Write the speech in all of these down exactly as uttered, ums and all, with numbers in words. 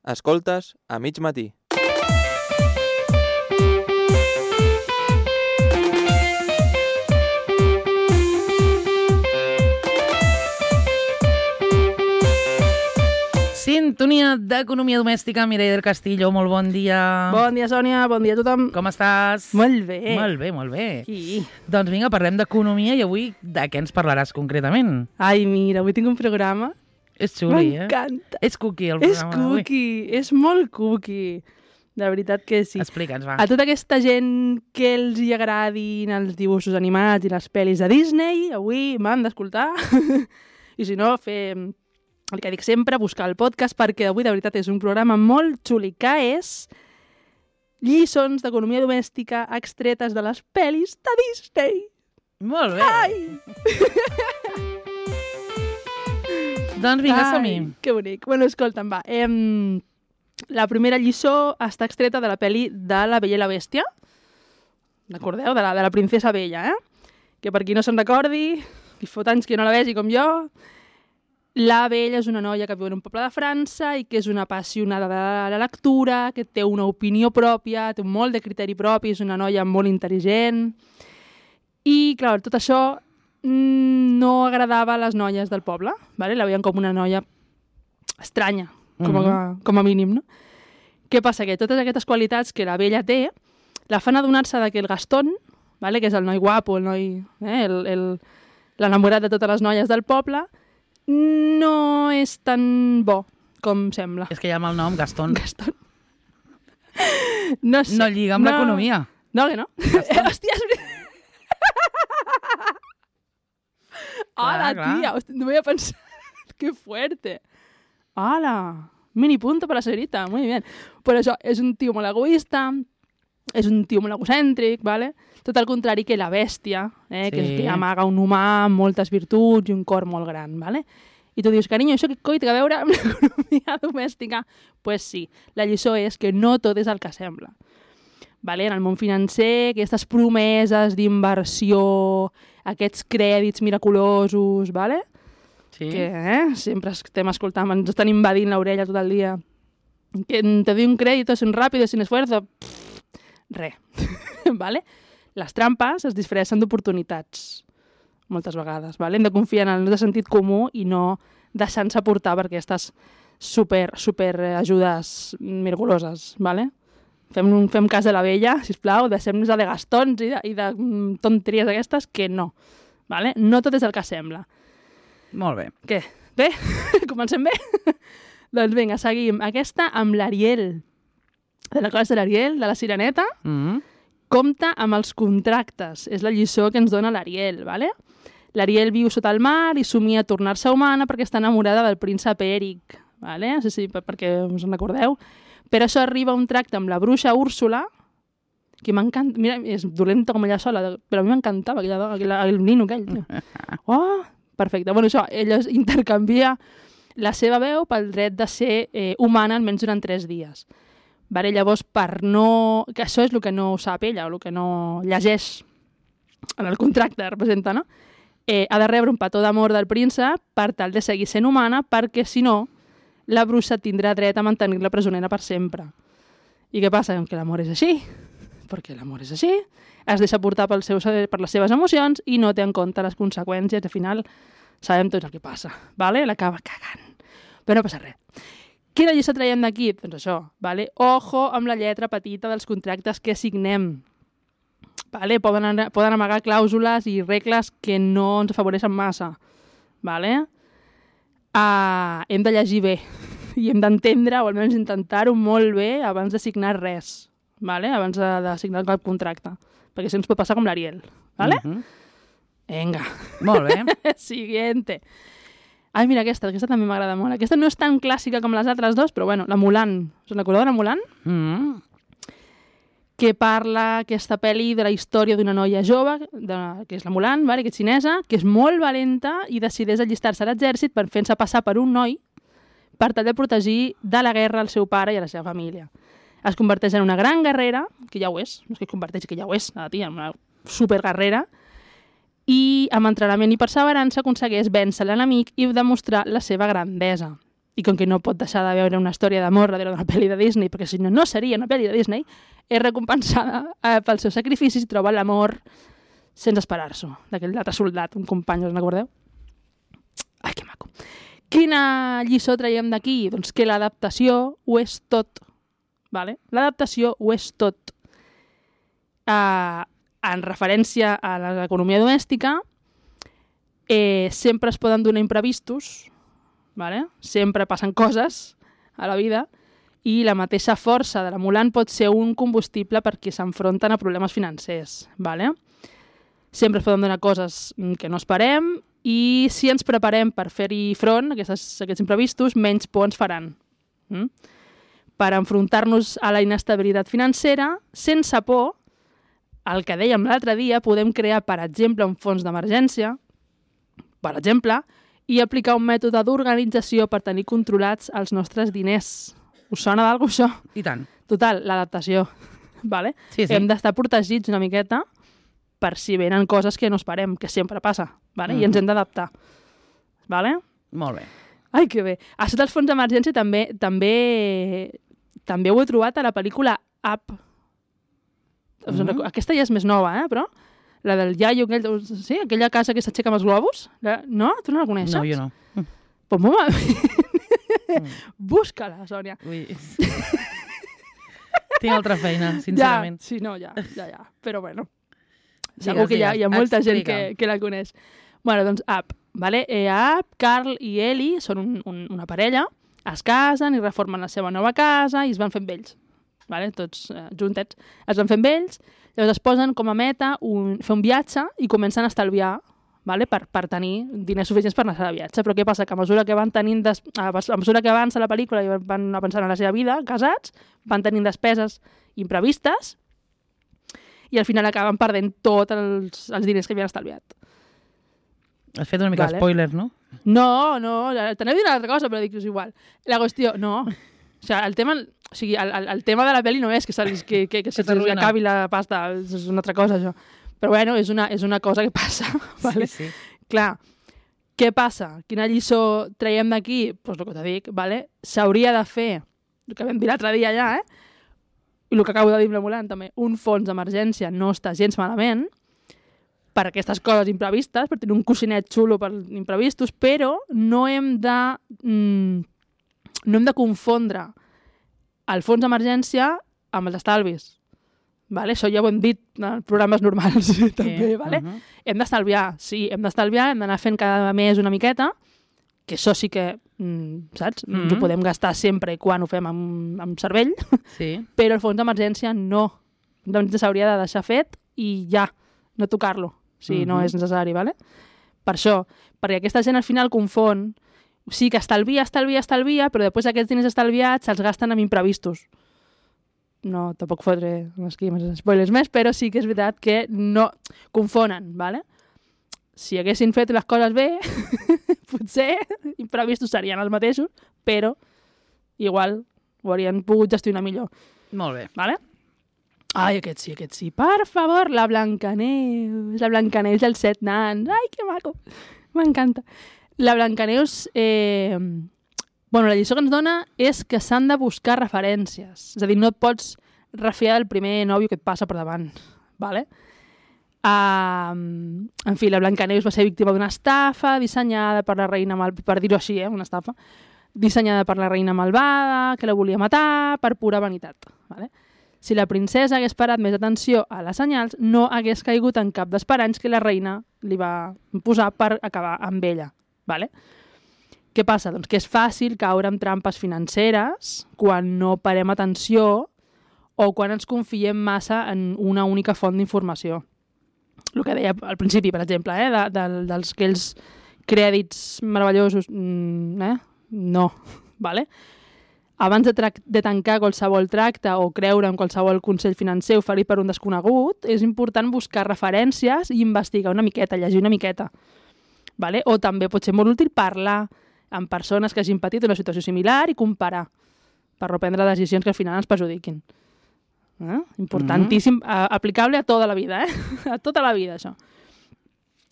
Escoltes a mig matí. Sintonia d'Economia Domèstica, Mireia del Castillo, molt bon dia. Bon dia, Sònia, bon dia a tothom. Com estàs? Molt bé. Molt bé, molt bé. Sí. Doncs vinga, parlem d'economia i avui de què ens parlaràs concretament? Ai, mira, avui tinc un programa. És xuli, eh? M'encanta. És cookie el És programa d'avui. cookie, és molt cookie. De veritat que sí. Explica'ns, va. A tota aquesta gent que els hi agradin els dibuixos animats i les pel·lis de Disney, avui m'han d'escoltar. I si no, fer el que dic sempre, buscar el podcast, perquè avui de veritat és un programa molt xuli, que és lliçons d'economia domèstica extretes de les pel·lis de Disney. Molt bé. Ai! Doncs vinga, Ai, som-hi. que bonic. Bueno, escolta'm, va. Em... La primera lliçó està extreta de la pel·li de La Bella i la Bèstia. Recordeu? De la, de la princesa Bella, eh? Que per qui no se'n recordi, i fot anys que no la vegi com jo, la Bella és una noia que viu en un poble de França i que és una apassionada de la lectura, que té una opinió pròpia, té molt de criteri propi, és una noia molt intel·ligent. I, clar, tot això no agradava a les noies del poble, ¿vale? La veien com una noia estranya, com a, mm-hmm. com a mínim, no? Què passa? Que totes aquestes qualitats que la Bella té la fan adonar-se que el Gastón, ¿vale? Que és el noi guapo, el noi, eh? el, el, l'enamorat de totes les noies del poble, no és tan bo com sembla. És que ja amb el nom, Gastón, Gastón. No sé. no lliga amb no... l'economia. No, que no. Hòstia, és veritat. Hola, clar. tia, hòstia, no m'havia pensat. Que fuerte. Hola, mini punto per la señorita, muy bien. Però això, és un tio molt egoista, és un tio molt egocèntric, ¿vale? Tot el contrari que la bèstia, eh? Sí. que, que amaga un humà amb moltes virtuts i un cor molt gran, ¿vale? I tu dius, carinyo, això què coi té a veure amb l'economia domèstica? Doncs pues sí, la lliçó és que no tot és el que sembla. Vale? En el món financer, aquestes promeses d'inversió, aquests crèdits miraculosos, vale? Sí. Que eh? sempre estem escoltant, ens estan invadint l'orella tot el dia. Que te doy un crédito sin rápido, sin esfuerzo. Pff, re. Vale? Les trampes es disfressen d'oportunitats, moltes vegades. Vale? Hem de confiar en el nostre sentit comú i no deixant-se portar per aquestes super, super ajudes miraculoses. Vale? Fem, fem cas de la Bella, sisplau, deixem-nos de gastons i de, i de tonteries aquestes, que no. Vale? No tot és el que sembla. Molt bé. Què? Bé? Comencem bé? Doncs vinga, seguim. Aquesta amb l'Ariel. De la classe de l'Ariel, de la Sireneta. Mm-hmm. Compta amb els contractes. És la lliçó que ens dona l'Ariel, ¿vale? L'Ariel viu sota el mar i somia tornar-se humana perquè està enamorada del príncep Eric, ¿vale? Sí, sí, perquè us en recordeu. Per això arriba un tracte amb la bruixa Úrsula, que m'encanta... Mira, és dolenta com ella sola, però a mi m'encantava aquella, aquella, el nino aquell. Oh, perfecte. Bueno, això, ella intercanvia la seva veu pel dret de ser eh, humana almenys durant tres dies. Vale, llavors, per no... Que això és el que no sap ella, o el que no llegeix en el contracte, representa, no? Eh, ha de rebre un petó d'amor del príncep per tal de seguir sent humana, perquè, si no, la bruixa tindrà dret a mantenir-la presonera per sempre. I què passa? Que l'amor és així. Perquè l'amor és així. Es deixa portar pel seu, per les seves emocions i no té en compte les conseqüències. Al final sabem tot el que passa. Vale? L'acaba cagant. Però no passa res. Quina lliçó traiem d'aquí? Doncs això. Vale? Ojo amb la lletra petita dels contractes que signem. Vale? Poden, anar, poden amagar clàusules i regles que no ens afavoreixen massa. Vale? Uh, hem de llegir bé i hem d'entendre, o almenys intentar-ho molt bé abans de signar res, vale? Abans de, de signar cap contracte, perquè si ens pot passar com l'Ariel. Vale? Mm-hmm. Vinga. Molt bé. Siguiente. Ai, mira aquesta, aquesta també m'agrada molt. Aquesta no és tan clàssica com les altres dos, però bueno, la Mulan. Us recordeu de la Mulan? Mm-hmm. Que parla aquesta pel·li de la història d'una noia jove, de, que és la Mulan, vale, que és xinesa, que és molt valenta i decideix allistar-se a l'exèrcit per fent-se passar per un noi per tal de protegir de la guerra al seu pare i a la seva família. Es converteix en una gran guerrera, que ja ho és, no és que es converteix, que ja ho és, la tia, una superguerrera, i amb entrenament i perseverança aconsegueix vèncer l'enemic i demostrar la seva grandesa. i com que no pot deixar de veure una història d'amor darrere d'una pel·li de Disney, perquè si no, no seria una pel·li de Disney, és recompensada eh, pels seus sacrificis i troba l'amor sense esperar-s'ho, d'aquell altre soldat, un company, us n'acordeu? Ai, que maco. Quina lliçó traiem d'aquí? Doncs que l'adaptació ho és tot. Vale? L'adaptació ho és tot. Uh, en referència a l'economia domèstica, eh, sempre es poden donar imprevistos, vale? Sempre passen coses a la vida i la mateixa força de la Mulan pot ser un combustible per qui s'enfronten a problemes financers. Vale? Sempre es poden donar coses que no esperem i si ens preparem per fer-hi front a aquests, aquests imprevistos, menys por ens faran. Mm? Per enfrontar-nos a la inestabilitat financera, sense por, el que dèiem l'altre dia, podem crear, per exemple, un fons d'emergència, per exemple, i aplicar un mètode d'organització per tenir controlats els nostres diners. Us sona d'alguna cosa, això? I tant. Total, l'adaptació. Vale? Sí, sí. Hem d'estar protegits una miqueta per si venen coses que no esperem, que sempre passa, vale? Mm. I ens hem d'adaptar. Vale? Molt bé. Ai, que bé. Això dels fons d'emergència també, també, també ho he trobat a la pel·lícula Up. Us en Mm. recordo- Aquesta ja és més nova, eh? Però la del iaio, aquell, sí, aquella casa que s'aixeca amb els globus. La, no? Tu no la coneixes? No, jo no. Pues molt mal. Mm. Busca-la, Sònia. Ui. Tinc altra feina, sincerament. Ja, sí, no, ja, ja, ja. Però bueno, Digues, segur que hi ha, hi ha digues. molta gent Explica. que, que la coneix. Bueno, doncs Up, vale? Eh, Up, Carl i Ellie són un, un, una parella, es casen i reformen la seva nova casa i es van fent vells, vale? Tots eh, juntets. Es van fent vells, llavors es posen com a meta un, fer un viatge i comencen a estalviar, vale? per, per tenir diners suficients per anar a viatge. Però què passa? Que a mesura que van tenint des... a mesura que avança la pel·lícula i van avançant en la seva vida, casats, van tenint despeses imprevistes i al final acaben perdent tots els, els diners que havien estalviat. Has fet una mica Vale. spoiler, no? No, no, t'aneu a dir una altra cosa, però dic que és igual. La qüestió, no. O sigui, el tema, o sigui, el, el, el tema de la pel·li no és que, se'ls, que, que, que se'ls t'arruïna. acabi la pasta, és una altra cosa, això. Però bueno, és una, és una cosa que passa. Vale? Sí, sí. Clar, què passa? Quina lliçó traiem d'aquí? Doncs pues el que t'he dit, vale? S'hauria de fer, el que vam dir l'altre dia ja, eh? I el que acabo de dir amb la Mulan també, un fons d'emergència no està gens malament per aquestes coses imprevistes, per tenir un coixinet xulo per imprevistos, però no hem de, mm, no hem de confondre el fons d'emergència amb els estalvis. Vale? Això ja ho hem dit en programes normals també, vale? Uh -huh. Hem d'estalviar, sí, hem d'estalviar, hem d'anar fent cada mes una miqueta, que això sí que, mm, saps? Mm -hmm. Ens ho podem gastar sempre i quan ho fem amb, amb cervell, Sí. però el fons d'emergència no. Doncs s'hauria de deixar fet i ja, no tocar-lo, si Mhm. no és necessari, vale? Per això, perquè aquesta gent al final confon, sí que estalvia, estalvia, estalvia, però després aquests diners estalviats se'ls gasten amb imprevistos. No, tampoc fotré aquí més spoilers més, però sí que és veritat que no confonen, vale? Si haguessin fet les coses bé, potser imprevistos serien els mateixos, però igual ho haurien pogut gestionar millor, Molt bé. vale? Ai, aquest sí, aquest sí. Per favor, la Blancaneus, la Blancaneus dels set nans. Ai, que maco. M'encanta. La Blancaneus, eh... bueno, la lliçó que ens dona és que s'han de buscar referències. És a dir, no et pots refiar del primer nòvio que et passa per davant, vale? Uh, en fi, la Blancaneus va ser víctima d'una estafa dissenyada per la reina mal... per dir-ho així, eh? Una estafa dissenyada per la reina malvada, que la volia matar per pura vanitat, vale? Si la princesa hagués parat més atenció a les senyals, no hagués caigut en cap dels paranys que la reina li va posar per acabar amb ella, vale? Què passa? Doncs que és fàcil caure en trampes financeres quan no parem atenció o quan ens confiem massa en una única font d'informació. El que deia al principi, per exemple, eh, de, de, dels aquells crèdits meravellosos, mm, eh? No, vale? Abans de, de tancar qualsevol tracte o creure en qualsevol consell financer oferit per un desconegut, és important buscar referències i investigar una miqueta, llegir una miqueta. Vale? O també pot ser molt útil parlar amb persones que hagin patit una situació similar i comparar per no prendre decisions que al final ens perjudiquin. Eh? Importantíssim, mm-hmm. aplicable a tota la vida, eh? A tota la vida, això.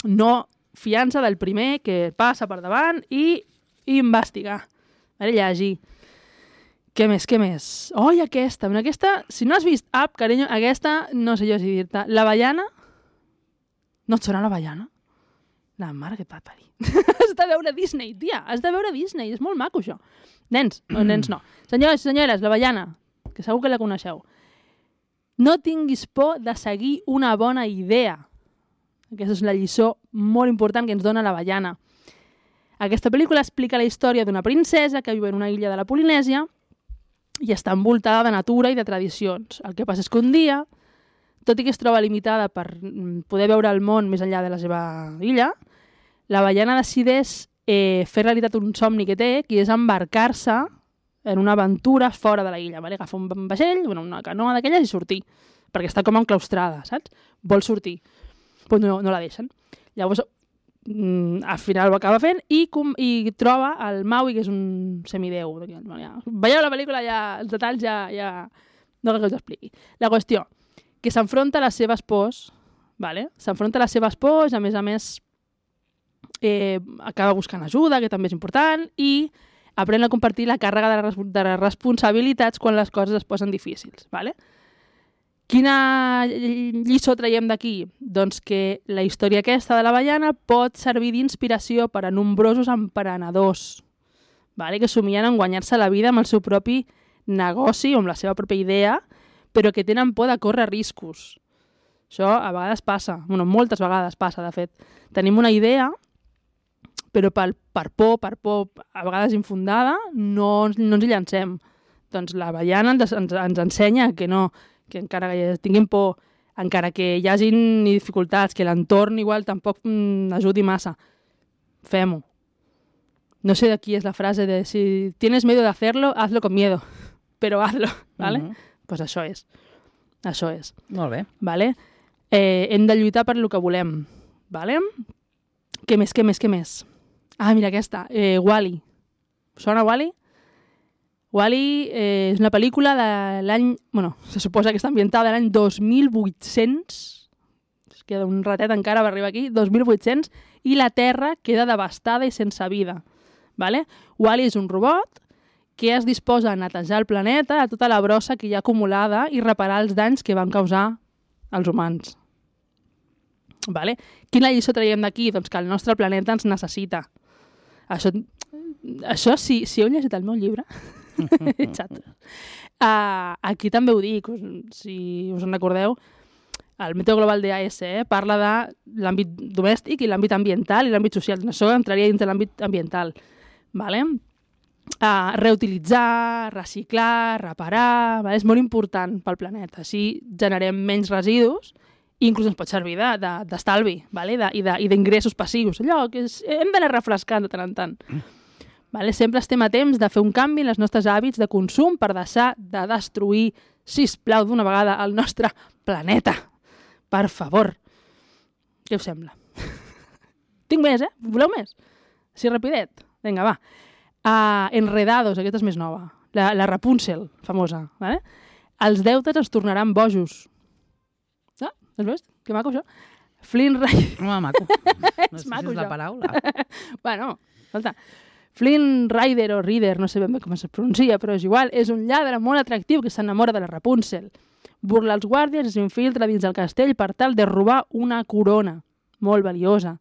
No fiança del primer que passa per davant i, i investigar. Ara llegir. Què més, què més? Oh, i aquesta, mira, aquesta, si no has vist Up, carinyo, aquesta, no sé jo si dir-te. La Baiana? No et sona la Baiana? La mare que et va parir. Has de veure Disney, tia, has de veure Disney, és molt maco, això. Nens, no, nens no. Senyors i senyores, la Baiana, que segur que la coneixeu. No tinguis por de seguir una bona idea. Aquesta és la lliçó molt important que ens dona la Baiana. Aquesta pel·lícula explica la història d'una princesa que viu en una illa de la Polinèsia i està envoltada de natura i de tradicions. El que passa és que un dia, tot i que es troba limitada per poder veure el món més enllà de la seva illa, la Baiana decideix eh, fer realitat un somni que té, que és embarcar-se en una aventura fora de la illa. Vale? Agafa un vaixell, una canoa d'aquelles i sortir, perquè està com enclaustrada, saps? Vol sortir, però no, no la deixen. Llavors, al final ho acaba fent i, com, i troba el Maui, que és un semideu. Ja, veieu la pel·lícula, ja, els detalls ja... ja... no cal que us expliqui. La qüestió, que s'enfronta a les seves pors, vale? S'enfronta a les seves pors, a més a més eh, acaba buscant ajuda, que també és important, i aprèn a compartir la càrrega de les, de les responsabilitats quan les coses es posen difícils. Vale? Quina lliçó traiem d'aquí? Doncs que la història aquesta de la Baiana pot servir d'inspiració per a nombrosos emprenedors, vale? Que somien en guanyar-se la vida amb el seu propi negoci o amb la seva pròpia idea, però que tenen por de córrer riscos. Això a vegades passa, bueno, moltes vegades passa, de fet. Tenim una idea, però per, per por, per por a vegades infundada, no, no ens hi llancem. Doncs la Baiana ens, ens, ens ensenya que no, que encara que tinguin por, encara que hi hagin dificultats, que l'entorn igual tampoc mm, ajudi massa, fem-ho. No sé de qui és la frase de si tienes miedo de hacerlo, hazlo con miedo, però hazlo, ¿vale? Uh-huh. Pues això és. Això és. Molt bé. Vale? Eh, hem de lluitar per lo que volem. Vale? Què més, què més, què més? Ah, mira aquesta. Eh, Wall-E. Sona Wall-E? Wall-E eh, és una pel·lícula de l'any... Bueno, se suposa que està ambientada de l'any dos mil vuit-cents. Es queda un ratet encara per arribar aquí. dos mil vuit-cents. I la Terra queda devastada i sense vida. Vale? Wall-E és un robot que es disposa a netejar el planeta, a tota la brossa que hi ha acumulada i reparar els danys que van causar els humans. Vale? Quina lliçó traiem d'aquí? Doncs que el nostre planeta ens necessita. Això, això si, si heu llegit el meu llibre... uh, aquí també ho dic, si us en recordeu, el Meteo Global de A S eh, parla de l'àmbit domèstic i l'àmbit ambiental i l'àmbit social. Això entraria dins de l'àmbit ambiental. Vale? Uh, reutilitzar, reciclar, reparar, vale? És molt important pel planeta. Així generem menys residus i inclús ens pot servir d'estalvi de, de, vale? de, i d'ingressos passius. Allò que és, hem d'anar refrescant de tant en tant. Vale? Sempre estem a temps de fer un canvi en els nostres hàbits de consum per deixar de destruir, sisplau, d'una vegada, el nostre planeta. Per favor. Què us sembla? Tinc més, eh? Voleu més? Així rapidet. Vinga, va. Uh, Enredados, aquesta és més nova. La, la Rapunzel, famosa. Vale? Els deutes ens tornaran bojos. Ah, has vist? Que maco, això. Flynn Rider... Home, maco. No sé maco, si és la això. paraula. Bueno, escolta... Flynn Rider o Rider, no sé ben bé com es pronuncia, però és igual, és un lladre molt atractiu que s'enamora de la Rapunzel. Burla els guàrdies i s'infiltra dins del castell per tal de robar una corona molt valiosa.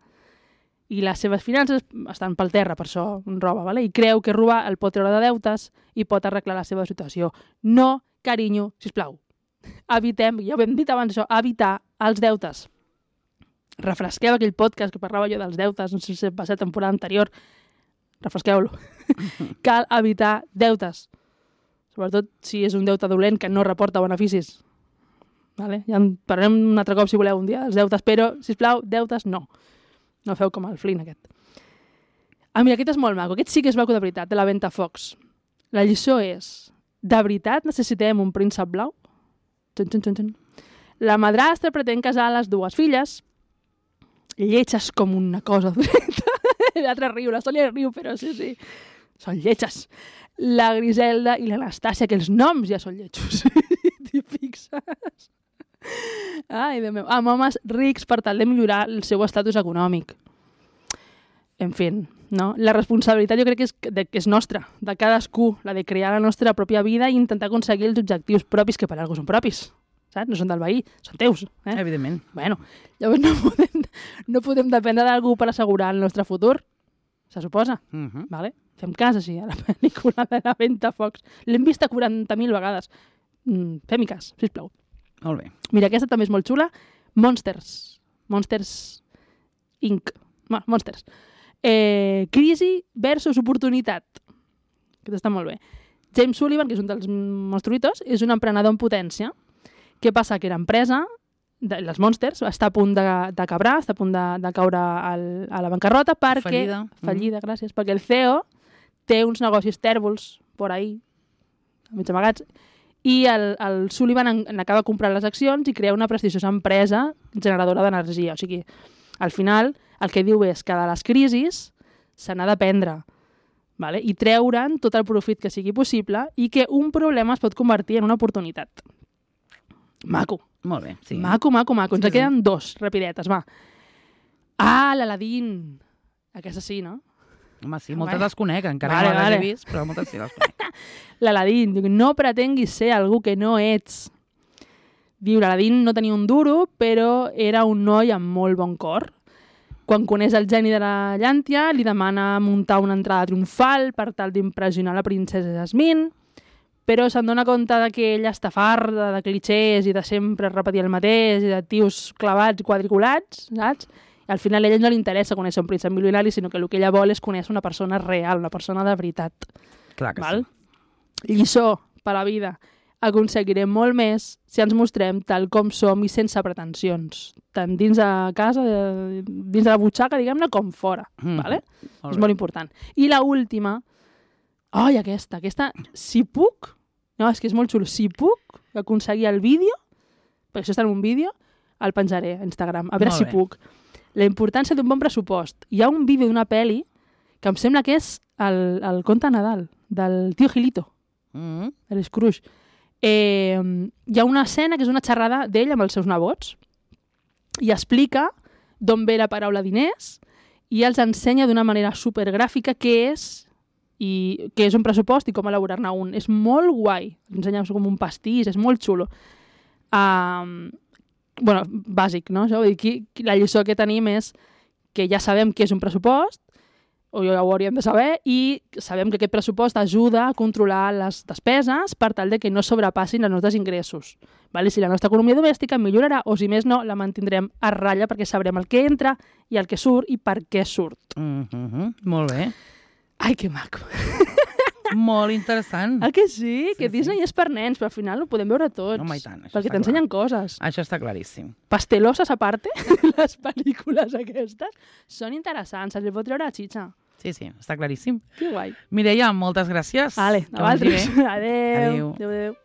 I les seves finances estan pel terra, per això roba, ¿vale? I creu que robar el pot treure de deutes i pot arreglar la seva situació. No, carinyo, sisplau. Evitem, ja ho hem dit abans això, evitar els deutes. Refresqueu aquell podcast que parlava jo dels deutes, no sé si va ser temporada anterior, refresqueu-lo. Cal evitar deutes. Sobretot si és un deute dolent que no reporta beneficis. Vale? Ja en parlarem un altre cop si voleu un dia dels deutes, però, sisplau, deutes no. No feu com el Flynn aquest. Ah, mira, aquest és molt maco. Aquest sí que és maco de veritat, de la Ventafocs. La lliçó és, de veritat necessitem un príncep blau? Tun, tun, tun, tun. La madrastra pretén casar les dues filles, lletges com una cosa dolenta. L'altre riu, la Sònia riu, però sí, sí. Són lletges. La Griselda i l'Anastàcia, que els noms ja són lletjos. T'hi fixes? Ai, Déu meu. Amb homes rics per tal de millorar el seu estatus econòmic. En fi, no? La responsabilitat jo crec que és, de, que és nostra, de cadascú, la de crear la nostra pròpia vida i intentar aconseguir els objectius propis, que per alguna són propis, saps? No són del veí, són teus. Eh? Evidentment. Bueno, llavors no podem, no podem dependre d'algú per assegurar el nostre futur, se suposa. Uh -huh. Vale? Fem cas així a la pel·lícula de la Ventafocs. L'hem vista quaranta mil vegades. Mm, fem-hi cas, sisplau. Molt bé. Mira, aquesta també és molt xula. Monsters. Monsters incorporated. Monsters. Eh, crisi versus oportunitat. Aquest està molt bé. James Sullivan, que és un dels monstruitos, és un emprenedor en potència. Què passa? Que l'empresa, de, les Monsters, està a punt de, de cabrar, està a punt de, de caure al, a la bancarrota perquè... Fallida. Fallida, mm. gràcies. Perquè el C E O té uns negocis tèrbols por ahí, mig amagats, i el, el Sullivan n'acaba comprant les accions i crea una prestigiosa empresa generadora d'energia. O sigui, al final, el que diu és que de les crisis se n'ha d'aprendre, vale? I treure'n tot el profit que sigui possible i que un problema es pot convertir en una oportunitat. Maco. Molt bé, sí. Maco, maco, maco. Ens Sí, sí, queden sí. dos, rapidetes, va. Ah, l'Aladín. Aquesta sí, no? Home, sí, moltes les conec, encara Vale, no les vale. he vist, però moltes sí les conec. L'Aladín. Diu, no pretenguis ser algú que no ets. Diu, l'Aladín no tenia un duro, però era un noi amb molt bon cor. Quan coneix el geni de la llàntia, li demana muntar una entrada triomfal per tal d'impressionar la princesa Jasmine, però se'n dona compte de que ella està farda de clichés i de sempre repetir el mateix i de tios clavats i quadriculats, saps? I al final a ella no li interessa conèixer un príncep milionari, sinó que el que ella vol és conèixer una persona real, una persona de veritat. Clar que Val? sí. Lliçó per la vida. Aconseguirem molt més si ens mostrem tal com som i sense pretensions, tant dins de casa, de, dins de la butxaca, diguem-ne, com fora. Mm. Vale? Molt És bé. molt important. I la última, ai, aquesta, aquesta, si puc, no, és que és molt xulo, si puc aconseguir el vídeo, perquè això està en un vídeo, el penjaré a Instagram, a veure Molt si bé. puc. La importància d'un bon pressupost. Hi ha un vídeo d'una pel·li que em sembla que és el, el conte de Nadal, del tio Gilito, Mm. de l'Scrooge. Eh, hi ha una escena que és una xerrada d'ell amb els seus nebots i explica d'on ve la paraula diners i els ensenya d'una manera supergràfica què és i què és un pressupost i com elaborar-ne un. És molt guai. Ensenya com un pastís, és molt xulo. Um, bueno, bàsic, no? Això, vull dir, qui, qui, la lliçó que tenim és que ja sabem què és un pressupost, o ja ho hauríem de saber, i sabem que aquest pressupost ajuda a controlar les despeses per tal de que no sobrepassin els nostres ingressos. Vale? Si la nostra economia domèstica millorarà, o si més no, la mantindrem a ratlla perquè sabrem el que entra i el que surt i per què surt. Mm -hmm. Molt bé. Ai, que maco. Molt interessant. Ah, que sí? Sí, Que Disney sí. és per nens, però al final ho podem veure tots. Home, i tant, això perquè està t'ensenyen coses. Això està claríssim. Pasteloses a parte, les pel·lícules aquestes, són interessants, se'ls pot treure la xitxa. Sí, sí, està claríssim. Que guai. Mireia, moltes gràcies. Vale, Que a vagi vosaltres. bé. Adéu. Adéu. Adéu, adéu.